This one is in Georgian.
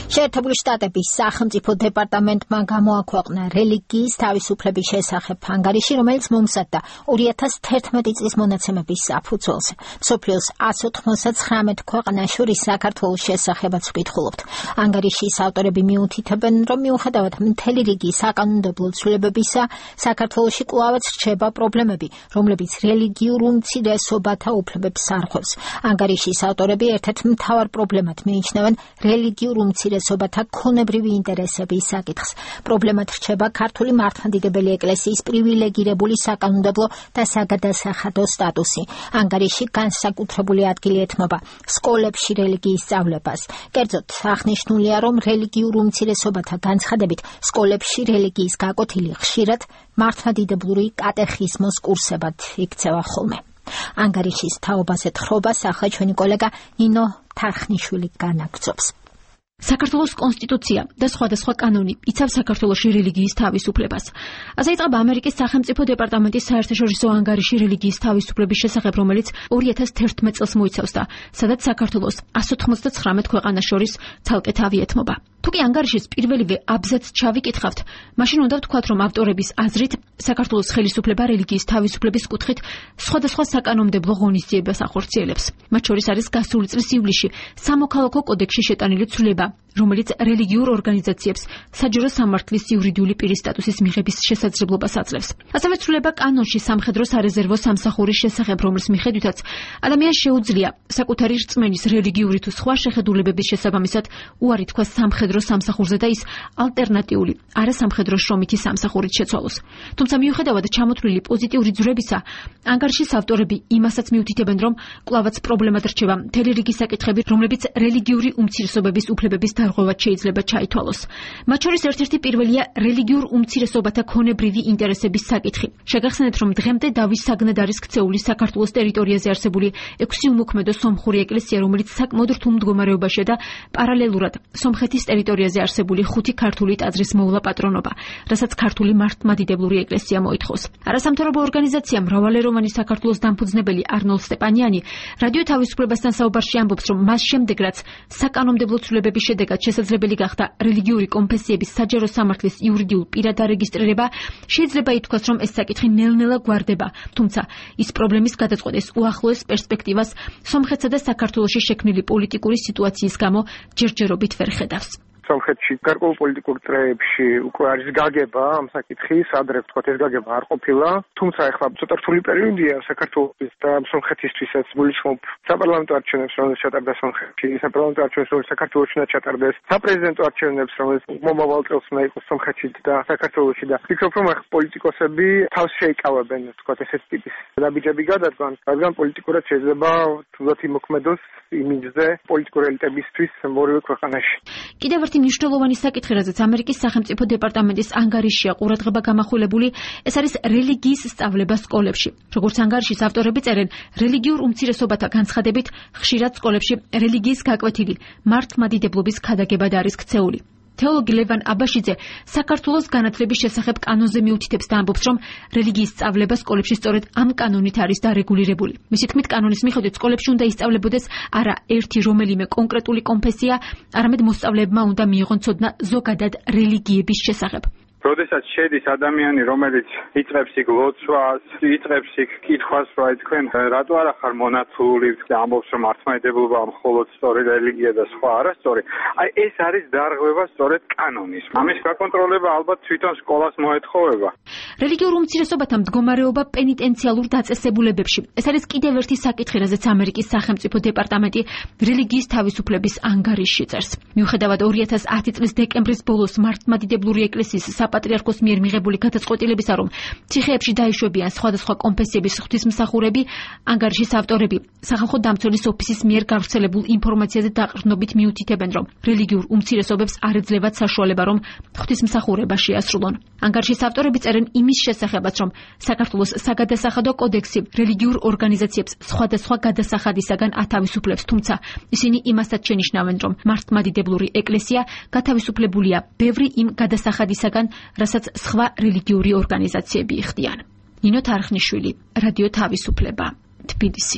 შეერთებული შტატების სახელმწიფო დეპარტამენტმა გამოაქვეყნა რელიგიის თავისუფლების შესახებ ანგარიში, რომელიც მომზადდა 2011 წლის მონაცემების საფუძველზე. მსოფლიოს 199 ქვეყანას შორის საქართველოს შესახებაც ვკითხულობთ. ანგარიშის ავტორები მიუთითებენ, რომ მიუხედავად მთელი რიგი საკანონმდებლო ცვლილებებისა, საქართველოში კვლავაც რჩება პრობლემები, რომლებიც რელიგიურ უმცირესობათა უფლებებს არღვევს. ანგარიშის ავტორები ერთ-ერთ მთავარ პრობლემად მიიჩნევენ რელიგიურ უმცირესობათა ქონებრივი ინტერესების საკითხს. პრობლემად რჩება ქართული მართლმადიდებელი ეკლესიის პრივილეგირებული საკანონმდებლო და საგადასახადო სტატუსი. ანგარიში განსაკუთრებული ადგილი ეთმობა სკოლებში რელიგიის სწავლებას. კერძოდ, აღნიშნულია, რომ რელიგიურ უმცირესობათა განცხადებით სკოლებში რელიგიის გაკვეთილი ხშირად მართლმადიდებლური კატეხიზმოს კურსებად იქცევა ხოლმე. ანგარიშის თაობაზე თხრობას ახლა ჩვენი კოლეგა ნინო თარხნიშვილი განაგრძობს. საქართველოს კონსტიტუცია და სხვადასხვა კანონი იცავს საქართველოში რელიგიის თავისუფლებას. ასე იწყება ამერიკის სახელმწიფო დეპარტამენტის საერთაშორისო ანგარიში რელიგიის თავისუფლების შესახებ, რომელიც 2011 წელს მოიცავს და სადაც საქართველოს 199 ქვეყანას შორის ცალკე თავი ეთმობა. თუ კი ანგარიშის პირველივე აბზაცს ჩავიკითხავთ, მაშინ უნდა ვთქვათ, რომ ავტორების აზრით საქართველოს ხელისუფლება რელიგიის თავისუფლების კუთხით სხვადასხვა საკანონმდებლო ღონისძიებას ახორციელებს. მათ შორის არის გასული წლის ივლისში სამოქალაქო კოდექსში შეტანილი ცვლილება, რომელიც რელიგიურ ორგანიზაციებს საჯარო სამართლის იურიდიული პირის სტატუსის მიღების შესაძლებლობას აძლევს. ასევე ცვლილება კანონში სამხედრო სარეზერვო სამსახურის შესახებ, რომლის მიხედვითაც ადამიანს შეუძლია საკუთარი რწმენის რელიგიური თუ სხვა შეხედულებების შესაბამისად უარი თქვა სამხედრო სამსახურზე და ის ალტერნატიული არასამხედრო შრომითი სამსახურით შეცვალოს. თუმცა მიუხედავად ჩამოთვლილი პოზიტიური ძვრებისა, ანგარიშის ავტორები იმასაც მიუთითებენ, რომ კვლავაც პრობლემად რჩება მთელი რიგი საკითხები, რომლებიც რელიგიური უმცირესობების უფლებების დარღვევად შეიძლება ჩაითვალოს. მათ შორის ერთ-ერთი პირველია რელიგიურ უმცირესობათა ქონებრივი ინტერესების საკითხი. შეგახსენებთ, რომ დღემდე დავის საგნად არის ქცეული საქართველოს ტერიტორიაზე არსებული 6 უმოქმედო სომხური ეკლესია, რომელიც საკმაოდ რთულ მდგომარეობაშია და პარალელურად სომხეთის ტერიტორიაზე არსებული 5 ქართული ტაძრის მოვლა პატრონობა, რასაც ქართული მართლმადიდებლური ეკლესია მოითხოვს. არასამთავრობო ორგანიზაცია მრავალეროვანი საქართველოს დამფუძნებელი არნოლდ სტეპანიანი რადიო თავისუფლებასთან საუბარში ამბობს, რომ მას შემდეგ, რაც საკანონმდებლო ცვლილებების შედეგად შესაძლებელი გახდა რელიგიური კონფესიების საჯარო სამართლის იურიდიულ პირად დარეგისტრირება, შეიძლება ითქვას, რომ ეს საკითხი ნელ-ნელა გვარდება, თუმცა ის პრობლემის გადაწყვეტის უახლოეს პერსპექტივას სომხეთსა და საქართველოში შექმნილი პოლიტიკური სიტუაციის გამო ჯერჯერობით ვერ ხედავს. სომხეთში გარკვეულ პოლიტიკურ წრეებში უკვე არის გაგება ამ საკითხის, ადრე ვთქვათ, ეს გაგება არ ყოფილა, თუმცა ახლა ცოტა რთული პერიოდია საქართველოს და სომხეთისთვისაც. გულისხმობ საპარლამენტო არჩევნებს, რომელიც ჩატარდა სომხეთში, საპარლამენტო არჩევნებს, რომელიც საქართველოში უნდა ჩატარდეს, საპრეზიდენტო არჩევნებს, რომელიც მომავალ წელს უნდა იყოს სომხეთში და საქართველოში და ვფიქრობ, რომ ახლა პოლიტიკოსები თავს შეიკავებენ, ვთქვათ, ესეთ ტიპის დაბიჯები გადადგან, რადგან პოლიტიკურად შეიძლება თუნდაც იმოქმედოს იმიჯზე პოლიტიკური ელიტებისთვის ორივე ქვეყანაში. კიდევ ერთი მნიშვნელოვანი საკითხი, რაზეც ამერიკის სახელმწიფო დეპარტამენტის ანგარიშია ყურადღება გამახვილებული, ეს არის რელიგიის სწავლება სკოლებში. როგორც ანგარიშის ავტორები წერენ, რელიგიურ უმცირესობათა განცხადებით ხშირად სკოლებში რელიგიის გაკვეთილი მართლმადიდებლობის ქადაგებად არის ქცეული. თეოლოგი ლევან აბაშიძე საქართველოს განათლების შესახებ კანონზე მიუთითებს და ამბობს, რომ რელიგიის სწავლება სკოლებში სწორედ ამ კანონით არის დარეგულირებული. მისი თქმით, კანონის მიხედვით სკოლებში უნდა ისწავლებოდეს არა ერთი რომელიმე კონკრეტული კონფესია, არამედ მოსწავლეებმა უნდა მიიღონ ცოდნა ზოგადად რელიგიების შესახებ. როდესაც შედის ადამიანი, რომელიც იწყებს იქ ლოცვას, იწყებს იქ კითხვას, რომ თქვენ რატო არა ხარ მონათლული და ამბობს, რომ მართლმადიდებლობა მხოლოდ სწორი რელიგია და სხვა არასწორი. ეს არის დარღვევა სწორედ კანონის. ამის გაკონტროლება ალბათ თვითონ სკოლას მოეთხოვება. რელიგიურ უმცირესობათა მდგომარეობა პენიტენციალურ დაწესებულებებში. ეს არის კიდევ ერთი საკითხი, რაზეც ამერიკის სახელმწიფო დეპარტამენტი რელიგიის თავისუფლების ანგარიშში წერს. მიუხედავად 2010 წლის დეკემბრის ბოლოს მართლმადიდებლური ეკლესიის საპატრიარქოს მიერ მიღებული გადაწყვეტილებისა, რომ ციხეებში დაიშვებიან სხვადასხვა კონფესიების ღვთისმსახურები, ანგარიშის ავტორები სახალხო დამცველის ოფისის მიერ გავრცელებულ ინფორმაციაზე დაყრდნობით მიუთითებენ, რომ რელიგიურ უმცირესობებს არ ეძლევათ საშუალება, რომ ღვთისმსახურება შეასრულონ. ანგარიშის ავტორები წერენ იმის შესახებაც, რომ საქართველოს საგადასახადო კოდექსი რელიგიურ ორგანიზაციებს სხვადასხვა გადასახადისაგან ათავისუფლებს, თუმცა ისინი იმასაც შენიშნავენ, რომ მართლმადიდებლური ეკლესია გათავისუფლებულია ბევრი იმ გადასახადისაგან, რასაც სხვა რელიგიური ორგანიზაციები იხდიან. ნინო თარხნიშვილი, რადიო თავისუფლება, თბილისი.